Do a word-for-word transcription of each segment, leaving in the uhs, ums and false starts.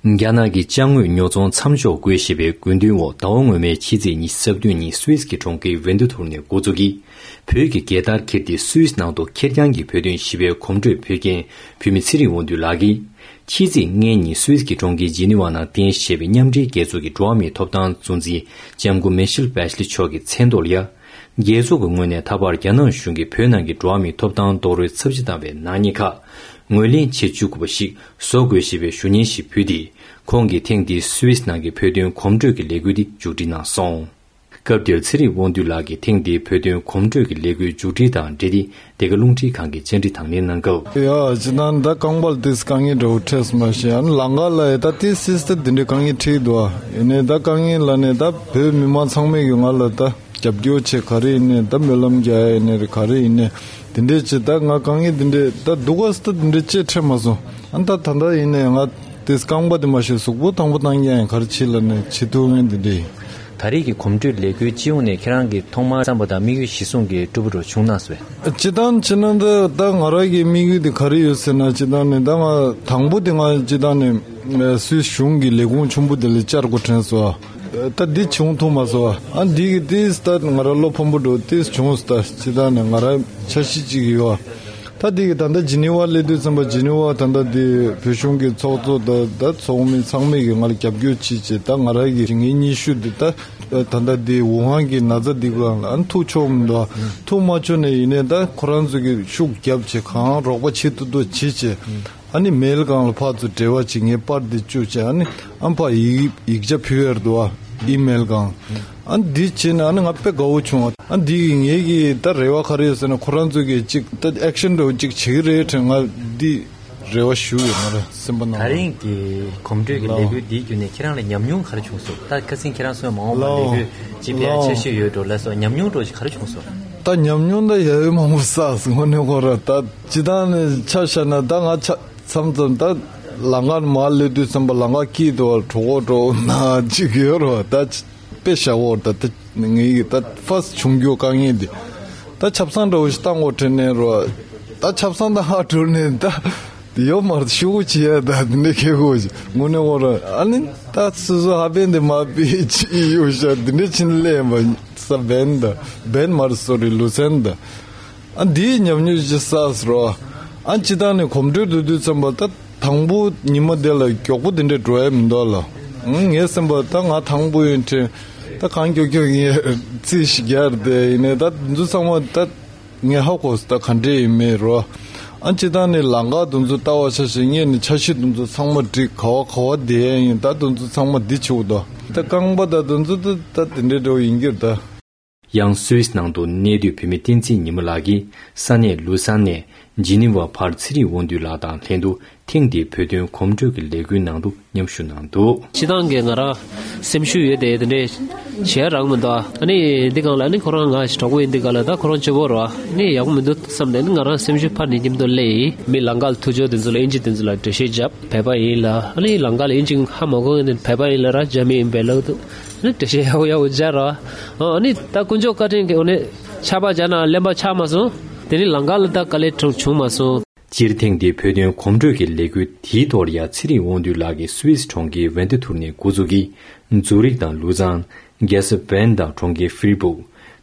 རྒྱ་ནག་གི་ཅ་དངོས་ཉོ་ཚོང་མཚམས་འཇོག་དགོས་ཞེས་པའི་དགོས་འདུན་འོག་ཟླ་བ་སྔོན་མའི་ཕྱི་ཚེས་ཉི་ཤུ་རྩ་བདུན་ཉིན་སུད་སི་གི་གྲོང་ཁྱེར་ཝེན་ཏུ་ཐུར་ནས་འགོ་བཙུགས་ཀྱིས། བོད་ཀྱི་རྒྱལ་དར་འཁྱེར་ཏེ་སུད་སི་ནང་དུ་ཁེར་རྐྱང་གི་བོད་དོན་ཞི་བའི་གོམ་བགྲོད་ཕེབས་མཁན་བོད་མི་ཚེ་རིང་དབང་འདུས་ལགས་ཀྱིས། ཕྱི་ཚེས་ལྔ་ཉིན་སུད་སི་གི་གྲོང་ཁྱེར་ཇི་ནི་ཝ་ནང་རྟེན་གཞི་བྱས་པའི་མཉམ་འབྲེལ་རྒྱལ་ཚོགས་ཀྱི་འགྲོ་བ་མིའི་ཐོབ་ཐང་གཙོ་འཛིན་ལྕམ་སྐུ་མེ་ཤེལ་བྷེ་ཤ་ལེ་མཆོག་གི་མཚན་ཐོག་ལ་ཡ། རྒྱལ་ཚོགས་ཀྱི་ངོས་ནས་ད་བར་རྒྱ་ནག་གཞུང་གིས་བོད་ནང་གི་འགྲོ་བ་མིའི་ཐོབ་ཐང་རྡོག་རོལ་ཚབས་ཆེ་བཏང་བའི་ནག་ཉེས་ཁག་ངོས་ལེན་བྱེད་བཅུག་དགོས་པ་ཞིག་བཟོ་དགོས་ཞེས་པའི་ཞུ་སྙན་ཞིག་ཕུལ་ཏེ། ཁོང་གིས་ཐེངས་འདིའི་སུད་སི་ནང་གི་བོད་དོན་གོམ་བགྲོད་ཀྱི་ལས་འགུལ་འདི་མཇུག་སྒྲིལ་གནང་སོང་། སྐབས་དེར་ཚེ་རིང་དབང་འདུས་ལགས་ཀྱིས་ཐེངས་འདིའི་བོད་དོན་གོམ་བགྲོད་ཀྱི་ལས་འགུལ་མཇུག་སྒྲིལ་དང་འབྲེལ་ཏེ། འདི་ག་རླུང་འཕྲིན་ཁང་གིས་བཅར་འདྲི་དང་ལེན་གནང་སྐབས། ཡ་སྤྱིར་བཏང་ད་རྐང་པ་ལ་ཏིས་དཀའ་ངལ་འདྲ་བོ་འཕྲད་སོང་མ་ཤེས། ཨ་ནི་ལམ་ཁ་ལ་ཡ་ད་ཏིས་སིས་ད་འདི་འདྲའི་དཀའ་ངལ་འཕྲད་ཀྱི་འདུག་ཨ་ཡིན་ནའི་ད་དཀའ་ངལ་ལ་ནི་ད་བོད་མི་མང་ཚང་མས་ཀྱི་ང་ལ་ད་རྒྱབ་སྐྱོར་བྱེད། ག་རེ་ཡིན་ནའི་ད་སྨོན་ལམ་རྒྱག་ཡ་ཡིན་ནའི་རེད། ག་རེ་ཡིན་ནའི་དེ་འདྲས་བྱེད། ད་ང་དཀའ་ངལ་དེ་འདྲས་ད་སྡུག་ག་སི་ད་དེ་འདྲས་ཅིག་འཕྲད་མ་སོང་། ཨ་ནི་ད་ད་ལྟ་ཡིན་ནའི་ང་ཏིས་རྐང་པ་དེ་མ་ཤེས་གཟུགས་པོ་དང་པོ་བཏང་ཡ་ཡིན། ག་རེ་བྱེད་ལ་ནི་བྱེད་ཐུབ་མཁན་དེ་འདྲས་ཡིན། ད་རེས་ཀྱི་གོམ་བགྲོད་ལས་འགུལ་སྤྱི་ཡོངས་ནས་ཁྱེད་རང་གི་ཐོག་མར་བསམ་པ་དང་དམིགས་ཡུལ་གཞིར་བཟུང་གི་སྤྲོ་པོ་འདྲ་བྱུང་ན་ཟེར། སྤྱིར་བཏང་བྱས་ན་འདི་ད་ང་རང་གི་དམིགས་ཡུལ་དེ་ག་རེ་ཡོད་ཟེར་ན། སྤྱིར་བཏང་ནས་ད་ང་དང་པོ་དེ་ང་སྤྱིར་བཏང་ནས་སུད་སི་གཞུང་གི་ལས་ཁུངས་ཆེན་པོ་དེ་ལ་བཅར་དགོས་དྲན་སོང་། ད་འདི་བྱུང་ཐུབ་མ་སོང་། ཨ་འདི་གི་ཏིས་ད་ང་རང་བློ་ཕམ་པོ་འགྲོ་ཏིས་བྱུང་སོང་། ད་སྤྱིར་བཏང་ནས་ང་རང་འཆར་གཞི་གཅིག་ཡོད། ད་འདི་གི་ད་ལྟ་ཇི་ནི་ཝ་སླེབས་དུས་ཙམ་པ་ཇི་ནི་ཝ་ད་ལྟ་འདི་བོད་གཞུང་གི་ཚོགས་གཙོ་ད་ད་ཚོགས་མི་ཚང་མས་ཀྱི་ང་ལ་རྒྱབ་སྐྱོར་བྱེད་བྱེད། ད་ང་རང་གི་ངའི་སྙན་ཞུ་འདི་ད་ད་ལྟ་འདི་ཝུ་ཧན་གྱི་ན་ཚ་འདི་སྒང་ལ་ཨ་ཐུག་ཆོག་མི་འདུག་ཐུག་མ་ཆོག་ནས་ཡིན་ནའི་ད་ཁོ་རང་ཚོ་གི་ཤུགས་རྒྱབ་བྱེད། གང་རོགས་པ་བྱེད་ཐུབ་ཐུབ་བྱེད་བྱེད། ཨ་ནི་མེལ་སྒང་ལ་ཕར་ཚུར་འབྲེལ་བ་བྱེད། ངའི་པར་འདི་བཅུག་བྱས། ཨ་ནི་ཨ་ཕར་ཡིག་ཡིག་ཆ་ཕུལ་ཡར་འདུག་བ། ཨི་མེལ་སྒང་། ཨ་ནི་འདི་བྱས་ནས་ཨ་ནི་ང་དཔེ་དགའ་བོ་བྱུང་བ། ཨ་འདི་གི་ངེད་ཀྱི་ད་རེ་བ་ག་རེ་ཡོད་ཟེར་ན། ཁོ་རང་ཚོ་གིས་ཅིག་ད་ཨེག་ཤན་འདྲ་བོ་ཅིག་བྱེད་ཀྱི་རེད་དྲན། ང་འདི་རེ་བ་ཞུ་ཡོད། ང་རང་སེམས་པ་ནང་ལ། ད་རིང་གི་གོམ་བགྲོད་ཀྱི་ལགས། ལས་འགུལ་འདིའི་བརྒྱུད་ནས་ཁྱེད་རང་ལ་ཉམས་མྱོང་ག་རེ་བྱུང་སོང་། ད་ཁ་སང་ཁྱེད་རང་གསུངས་མ་འོངས་པ་ལས་ལགས། འགུལ་ཅིག་ཕལ་ཆེ་ཤོས་ཡོད་འགྲོ་ལབ་སོང་། ཉམས་མྱོང་འདྲ་ཞིག་ག་རེ་བྱུང་སོང་། ད་ཉམས་མྱོང་ད་ཡ་ཡོད་མང་པོ་བསགས་སོང་། དངོས་གནས་ཁོ་ར་ད་སྤྱིར་བཏང་ནས་ཆ་བཞག་ན་ད་ང་ཆ་མཚམས་མཚམས་ད་ལམ་ཁར་མར་སླེབས་དུས་ཙམ་པ་ལམ་ཁ་དཀྱིལ་དུ་བ་གྲོགས་པོ་གྲོགས་པོ་ན་ཅིག་ཡོད་རེད་བ། ད་དཔེ་བཞག་འོར་ད་ད་ངེད་ཀྱི་ད་ཕར་སི་བྱུང་རྒྱུ་དཀའ་ངལ་འདི་ད་ཆབ་གསང་འདྲ་བོ་ཞིག་བཏང་དགོས་དྲན་ནས་རེད་བ། ད་ཆབ་གསང་ད་ཧ་གྲུར་ནས་ད་ཡོད་མ་རེད། ཤུ་གུ་བྱེད་ཡ་ད་འདི་འདྲ་ཁེ་གོ་ཞིག་དངོས་གནས་འོ་ར། ཨ་ནི་ད་སོ་སོ་ཧ་པན་འདི་མ་པི་ཅི་ཡོད་ཤ་འདི་འདྲ་ཕྱིན་ལས་མ་ས་བན་ད་བན་མ་རེད། སོ་རི་ལུ་སན་ད། ཨ་འདིའི་ཉམས་མྱོང་ཅིག་བསགས་རོ། ཨ་སྤྱིར་བཏང་ནས་གོམ་བགྲོད་དུ་དུས་ཙམ་པ་ད་དང་པོ་ཉི་མ་དེ་ལ་མགྱོགས་པོ་དེ་འདྲ་འགྲོ་ཡ་མི་འདུག་ལ། ཨང་ངའི་སེམས་པ་ད་ང་དང་པོ་ཡིན་དྲན། ད་གང་མགྱོགས་མགྱོགས་ངས་རྩིས་ཤིག་རྒྱག་དེ་ཡིན་ནའི་ད་འདི་ཚོ་ཚང་མ་ད་ངས་ཧ་གོ་སོང་། ད་ག་འདྲས་ཡིན་མེད་རོ། ཨ་སྤྱིར་བཏང་ནས་ལམ་ཁ་དེ་ཚོ་ལྟ་བ་ཆ་བཞག་ངས་ནི་འཆར་གཞི་དེ་ཚོ་ཚང་མ་བསྒྲིགས། ག་བ་ག་བ་བསྡད་ཡ་ཡིན། ད་དེ་ཚོ་ཚང་མ་འདི་བྱེད་དགོས་འདུག་ད་རྐང་པ་ད་དེ་ཚོ་ད་ད་དེ་འདྲས་འདྲ་བོ་ཡིན་གྱི་རེད་ད། ཡང་སུད་སི་ནང་དུ་གནས་སྡོད་བོད་མི་བསྟན་འཛིན་ཉི་མ་ལགས་ཀྱིས་ས་གནས་ལུ་སན་ནས་ཇི་ནི་ཝ་ཕར་ཚེ་རིང་དབང་འདུས་ལགས་དང་ལྷན་དུ་ཐེངས་འདིའི་བོད་དོན་གོམ་བགྲོད་ཀྱི་ལས་འགུལ་ནང་དུ་མཉམ་ཞུགས་གནང་འདུག་སྤྱིར་བཏང་གི་ང་རང་སེམས་ཤུགས་ཡོད་དེ་དེ་འདྲས་བྱེད་རག་མི་འདུག་ཨ་ནི་འདི་སྒང་ལ་ཨ་ནི་ཁོ་རང་ང་གྲོགས་པོ་ཡིན་འདི་སྒང་ལ་ད་ཁོ་རང་སྐྱོ་པོ་རོ། ཨ་ནི་ཡག་པོ་མི་འདུག་བསམ་སྟེ་ཨ་ནི་ང་རང་སེམས་ཤུགས་འཕར་ནས་མཉམ་དུ་སླེབས་ཡིན། མི་ལམ་ཁ་ལ་ཐུག་ཆོག་དེ་ཚོ་ལ་ཨིན་ཇི་དེ་ཚོ་ལ་འགྲེལ་བཤད་བརྒྱབ། བོད་པ་ཡིན་ལ་ཨ་ནི་ལམ་ཁ་ལ་ཨིན་ཇི་ཧ་མ་གོ་ནི་བོད་པ་ཡིན་ལ་ར་རྒྱ་མི་ཡིན་པས་ལ་དུ། ཨ་ནི་འགྲེལ་བཤད་ཡག་པོ་ཡག་པོ་སྦྱར་རོ། ཨ་ནི་ད་དཀོན་མཆོག་བཀའ་དྲིན་གྱིས་ཨ་ནི་ཆར་པ་བརྒྱབ་ན་གླེན་པ་ཆགས་མ་སོང་། དེ་ནི་ལམ་ཁ་ལ་ད་དཀའ་ལས་གྲོངས་བྱུང་མ་སོང་། སྤྱིར་ཐེངས་འདིའི་བོད་དོན་གོམ་བགྲོད་ཀྱི་ལས་འགུལ་དེའི་ཐོག་ལ་ཡ་ཚེ་རིང་དབང་འདུས་ལགས་ཀྱིས་སུད་སི་གྲོང་ཁྱེར་ཝན་ཏི་ཐུར་ནས་འགོ་འཛུགས་ཀྱིས་ཛུ་རིག་དང་ལུ་ཛང་། རྒྱལ་ས་བན་དང་གྲོང་ཁྱེར་ཧྥི་རི་སྦུག་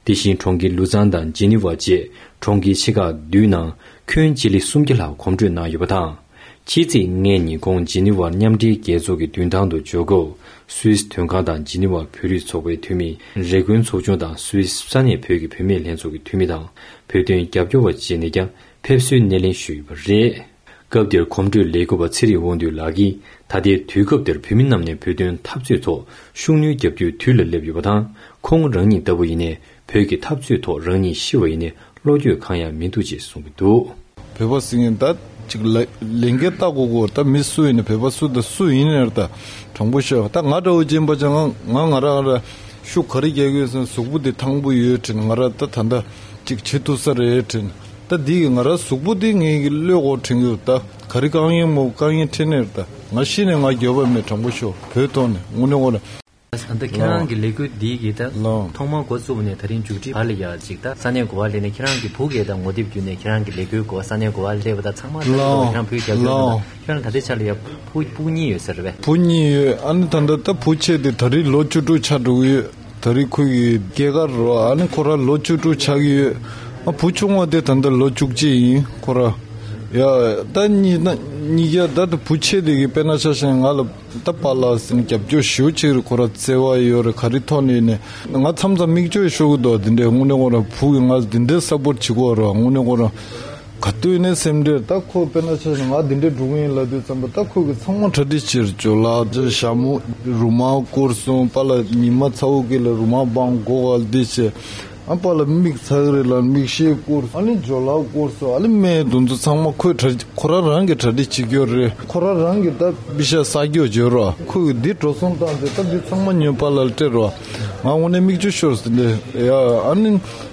དེ་བཞིན་གྲོང་ཁྱེར་ལུ་ཛང་དང་ཇི་ནི་ཝ་བཅས་གྲོང་ཁྱེར་ཆེ་ཁག་བདུན་ནང་ཁྱོན་སྤྱི་ལེ་སུམ་བརྒྱ་ལྷག་གོམ་བགྲོད་གནང་ཡོད་པ་དང་། ཕྱི་ཚེས་ལྔ་ཉིན་ཁོང་ཇི་ནི་ཝར་མཉམ་འབྲེལ་རྒྱལ་ཚོགས་ཀྱི་མདུན་ཐང་དུ་འབྱོར་སྐབས། སུད་སི་དོན་ཁང་དང་ཇི་ནི་ཝར་བོད་རིགས་ཚོགས་པའི་འཐུས་མི། རེ་སྐུན་ཚོགས་ཆུང་དང་སུད་སི་ས་གནས་བོད་ཀྱི་བུད་མེད་ལྷན་ཚོགས་ཀྱི་འཐུས་མི་དང་། བོད་དོན་རྒྱབ་སྐྱོར་བ་བཅས་ནས་ཀྱང་ཕེབས་བསུའི་སྣེ་ལེན་ཞུས་ཡོད་པ་རེད། སྐབས་དེར་གོམ་བགྲོད་ལས་འགུལ་བ་ཚེ་རིང་དབང་འདུས་ལགས་ཀྱིས། ད་ལྟའི་དུས་སྐབས་འདིར་བོད་མི་རྣམས་ནས་བོད་དོན་འཐབ་རྩོད་ཐོག་ཤུགས་སྣོན་རྒྱབ་རྒྱུའི་དུས་ལ་སླེབས་ཡོད་པ་དང་། ཁོང་རང་ཉིད་ལྟ་བུ་ཡིན་ནའི། བོད་ཀྱི་འཐབ་རྩོད་ཐོག་རང་ཉིད་ཤི་བ་ཡིན་ནའི་བློ་འགྱོད་གང་ཡང་མི་འདུག་ཅེས་གསུངས་ཀྱི་འདུག་བོད་པ་ཟེར་མཁན་ད་ཅིག་ལ་ལས་འགན་བལྟ་དགོས་གོ། ད་མི་སུ་ཡིན་ནའི་བོད་པ་སུ་དང་སུ་ཡིན་ནའི་ད་དྲང་པོ་ཤོད། ད་ང་འདྲ་བོ་ཅན་པ་ཅང་ང་ང་རང་ར་ཤུགས་ག་རེ་རྒྱག་གི་ཡོད་ཟེར་ན། གཟུགས་པོ་འདི་ཐང་པོ་ཡོད་དྲན། ང་ར་ད་ད་ད་ཅིག་བྱེད་ཐུབ་ས་རེད་དྲན། ད་འདི་གི་ང་ར་གཟུགས་པོ་འདི་ངའི་གི་བློས་འགོ་དྲན་གི་ཡོད། ད་ག་རེ་དཀའ་ངལ་མོ་དཀའ་ངལ་འཕྲད་ནའི་ད་ང་ཤི་ནའི་ང་འགྱོད་པ་མེད། དྲང་པོ་ཤོད། བོད་ཐོག་ནས་དངོས་གནས་ངོ་ལ། ད་ལྟ་ཁྱེད་རང་གི་ལས་འགུལ་འདི་གི་ད་ལགས། ཐོག་མར་འགོ་བཙུགས་པ་ནས་ད་རིང་མཇུག་སྒྲིལ་བར་ལ་ཡ་ཅིག་ད་ས་གནས་གོ་བ་སླེབས་ནས་ཁྱེད་རང་གི་བུ་གས་ད་ངོ་དེབ་བརྒྱུད་ནས་ཁྱེད་རང་གི་ལས་འགུལ་གོ་ས་གནས་གོ་བ་སླེབས་པ་ད་ཚང་མ་ལྟ་བུ་ལགས། ཁྱེད་རང་བུ་རྒྱབ་སྐྱོར་ལགས། ཁྱེད་རང་ད་ལྟའི་ཆ་ལ་ཡ་བུ་སྤུན་གཉིས་ཡོད་ཟེར་བས། བུ་གཉིས་ཡོད། ཨ་ནི་ད་ལྟ་ད་བུ་ཆེ་དེ་ད་རིང་ལོ་བཅུ་དྲུག་ཆགས་འགྲོ་གི་ཡོད། ད་རིང་ཁོ་གི་སྐྱེས་སྐར་རོ། ཨ་ནི་ཁོ་རང་ལོ་བཅུ་དྲུག་ཆགས་ཀྱི་ཡོད། ཨ་བུ་ཆུང་བ་དེ་ད་ལྟ་ལོ་བཅུ་གཅིག་ཡིན་ཁོ་རང་། ཡ་ད་གཉིས་ད་གཉིས་ཀ་ད་ད་བུ་ཆེ་དེ་གི་དཔེར་ན་ཆ་བཞག་ང་ལ་ད་པཱ་ལགས་ཟེར་ནས་རྒྱབ་སྐྱོར་ཞེ་པོ་ཅིག་རེད། ཁོ་རང་བརྩེ་བ་ཡོད་རེད། ག་རེ་ཐོག་ནས་ནས་ང་མཚམས་མཚམས་མིག་ཆུ་ཤོར་གི་འདུག་དེ་འདྲའི་དངོས་གནས་ཁོ་རང་བུ་གི་ང་ལ་དེ་འདྲའི་སཔོར་བྱེད་ཀྱི་ཡོད་རེད། དངོས་གནས་ཁོ་རང་ག་དུས་ནས་སེམས་ཁྲལ་ད་ཁོ་དཔེར་ན་ཆ་བཞག་ང་དེ་འདྲའི་འགྲོ་གི་ཡིན་ལབ་དུས་ཙམ་པ་ད་ཁོ་གི་ཚང་མ་གྲ་སྒྲིག་བྱེད་རེད། ཇོ་ལགས་ཇོ་ཞྭ་མོ་རུ་མ་བསྐོར་སོང་། པཱ་ལགས་ཉི་མ་ཚ་བོ་གི་ལ་རུ་མ་སྦང་གོ་ག་ལ་འདི་བྱས། ཨ་པཱ་ལགས་མིག་ཚ་གི་རེད་ལ་མིག་ཤེལ་བསྐོར་སོང་། ཨ་ནི་ཇོ་ལགས་བསྐོར་སོང་། ཨ་ནི་སྨན་དེ་ཚོ་ཚང་མ་ཁོས་གྲ་ཁོ་རང་རང་གི་གྲ་སྒྲིག་བྱེད་ཀྱི་ཡོད་རེད། ཁོ་རང་རང་གི་ད་པི་ཤ་ས་རྒྱོ་བརྗོད་རོགས། ཁོས་འདི་འགྲོ་སོང་བཏང་ཚེ་ད་འདི་ཚང་མ་ཉོས་པཱ་ལགས་ལ་སྤྲད་རོགས། ང་དངོས་གནས་མིག་ཆུ་ཤོར་སོང་འདི། ཡ་ཨ་ནི་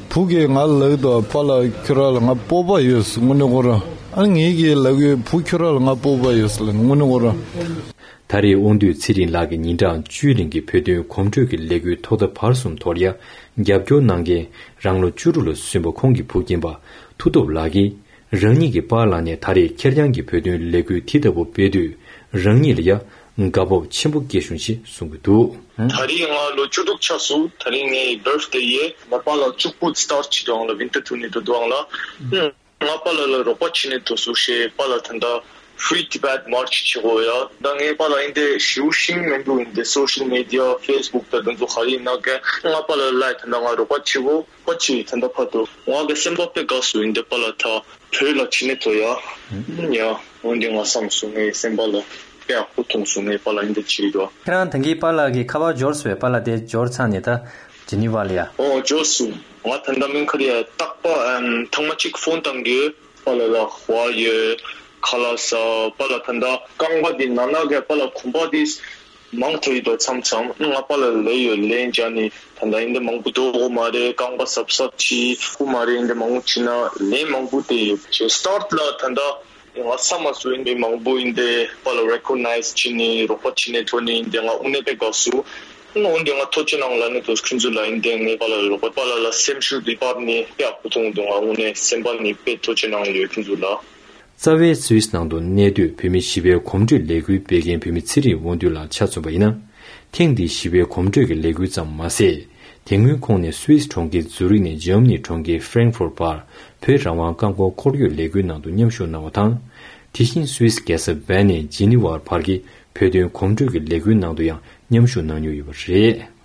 བུ་གིས་ང་ལ་ལབ་འདུག་པཱ་ལགས་ཁྱོད་རང་ལ་ང་སྤོབས་པ་ཡོད་སོང་། དངོས་གནས་ཁོ་རང་ཨ་ནི་ངེད་ཀྱིས་ལབ་ཡོད། བུ་ཁྱོད་རང་ལ་ང་སྤོབས་པ་ཡོད་སོང་ལབ་དངོས་གནས་ཁོ་རང་། ད་རེས་དབང་འདུས་ཚེ་རིང་ལགས་ཀྱིས་ཉིན་གྲངས་བཅུའི་རིང་གི་བོད་དོན་གོམ་བགྲོད་ཀྱི་ལས་འགུལ་ཐོག་མཐའ་བར་གསུམ་ཐོག་ལ་ཡ་རྒྱབ་སྐྱོར་གནང་མཁན་རང་ལོ་བཅུ་དྲུག་ལ་སོན་པ་ཁོང་གི་བུ་རྒན་པ་མཐུ་སྟོབས་ལགས་ཀྱིས་རང་ཉིད་ཀྱི་པཱ་ལགས་ནས་ད་རེས་ཁེར་རྐྱང་གི་བོད་དོན་ལས་འགུལ་དེ་ལྟ་བུ་སྤེལ་དུས་རང་ཉིད་ལ་ཡ་དགའ་སྤོབས་ཆེན་པོ་སྐྱེས་བྱུང་ཞེས་གསུང་གི་འདུག་ད་རེས་ང་ལོ་བཅུ་དྲུག་ཆགས་སོང་། ད་རེས་ངའི་བར་ཐི་ཌེ་ཡིན། ང་པཱ་ལགས་གཅིག་པུ་སི་ཊར་བྱེད་དུའང་ལ་ཝིན་ཊར་ཊུར་ནས་འགྲོ་དུའང་ལ། ང་པཱ་ལགས་ལ་རོགས་པ་བྱེད་ནས་འགྲོ་སོང་ཞེས་པཱ་ལགས་ད་ལྟ་Free Tibet March བྱེད་དགོས་ཡ། ད་ངའི་པཱ་ལགས་ཡིན་དེ་ཞེ་པོ་ཤེས་མི་འདུག་ཡིན་དེ་སོ་ཤལ་མི་ཌི་ཡ་ཕེ་སི་བུག་དང་དེ་ཚོ་ག་རེ་ཡིན་ན་ག་ང་པཱ་ལགས་ལ་ད་ལྟ་ང་རོགས་པ་བྱེད་དགོས་པ་ཅིག་ད་ལྟ་ཕར་འགྲོ་ང་གི་སེམས་པ་དཔེ་དགའ་སོང་། ཡིན་དེ་པཱ་ལགས་ད་བོད་ལ་བྱེད་ནས་འགྲོ་ཡ། ཡ་འོན་ཏེ་ང་བསམ་སོང་ངའི་སེམས་པ་ལ་དཔེ་ཡག་པོ་མཐོང་སོང་། ངའི་པཱ་ལགས་ཡིན་དེ་བྱེད་ཀྱི་འདུག་ཁྱེད་རང་ད་གིན་པཱ་ལགས་ཀྱི་ཁ་པར་འབྱོར་སོང་བས། པཱ་ལགས་དེ་འབྱོར་ཚར་ནས་ད་ཇི་ནི་ཝ་ལ་ཡ། ཨོ་འབྱོར་སོང་། ང་ད་ལྟ་མིང་ཁ་རི་ཡ་རྟག་པ་ཨམ་ཐེངས་མ་གཅིག་ཕོན་བཏང་གི་པཱ་ལགས་ལ་ཧོ་ཡོད་ཁ་ལག་ཟ་པཱ་ལགས་ད་ལྟ་རྐང་པ་འདི་ན་ན་གི་པཱ་ལགས་གོམ་པ་འདི་མང་དྲགས་ཡོད་དོ་མཚམས་མཚམས་ང་པཱ་ལགས་ལས་ཡོད་ལན་འཇགས་ནི་ད་ལྟ་ཡིན་འདི་མང་པོ་འགྲོ་གི་མ་རེད། རྐང་པ་གཟབ་གཟབ་བྱེད་ཁུ་མ་རེད། འདི་མང་པོ་བྱེད་ན་ལན་མང་པོ་དེ་ཡོད་བྱེད་སི་ཊར་ཊི་ལ་ད་ལྟ། ང་ས་མ་སུ་ཡིན་པའི་མང་པོ་ཡིན་ཏེ་པཱ་ལགས་རེ་ཀོག་ནའི་ཛི་བྱས་ནས་རོགས་པ་བྱས་ནས་ཐོན་ནས་ཡིན་ཏེ་ང་དངོས་གནས་དཔེ་དགའ་སོང་། འོན་ཏེ་ང་ཐུགས་རྗེ་གནང་ལབ་ནས་དུས་ཁྱེད་ཚོ་ལ་ཡིན་ཏེ་ངའི་པཱ་ལགས་རོགས་པ་པཱ་ལགས་ལ་སེམས་ཤུགས་འདི་སྤར་ནས་དཔེ་ཡག་པོ་མཐོང་འདུག་ང་དངོས་གནས་སེམས་པ་ནས་དཔེ་ཐུགས་རྗེ་གནང་ཡོད་ཁྱེད་ཚོ་ལ། རྩ་བའི་སུད་སི་ནང་དུ་གནས་སྡོད་བོད་མི་ཞི་བའི་གོམ་བགྲོད་ལས་འགུལ་སྤེལ་མཁན་བོད་མི་ཚེ་རིང་དབང་འདུས་ལགས་ཆ་མཚོན་པ་ཡིན་ན། ཐེངས་འདིའི་ཞི་བའི་གོམ་བགྲོད་ཀྱི་ལས་འགུལ་ཙམ་མ་ཟད། དེ་སྔོན་ཁོང་ནས་སུད་སི་གྲོང་ཁྱེར་ཛུ་རིག་ནས་འཇར་མ་ནི་གྲོང་ཁྱེར་ཧྥ་རེང་ཧྥུར་བར་བོད་རང་དབང་རྐང་འཁོར་འཁོར་སྐྱོད་ལས་འགུལ་ནང་དུ་མཉམ་ཞུགས་གནང་བ་དང་། དེ་བཞིན་སུད་སི་རྒྱལ་ས་བྷར་ནས་ཇི་ནི་ཝར་བར་གྱི་བོད་དོན་གོམ་བགྲོད་ཀྱི་ལས་འགུལ་ནང་དུ་ཡང་མཉམ་ཞུགས་གནང་མྱོང་ཡོད་པ་རེད།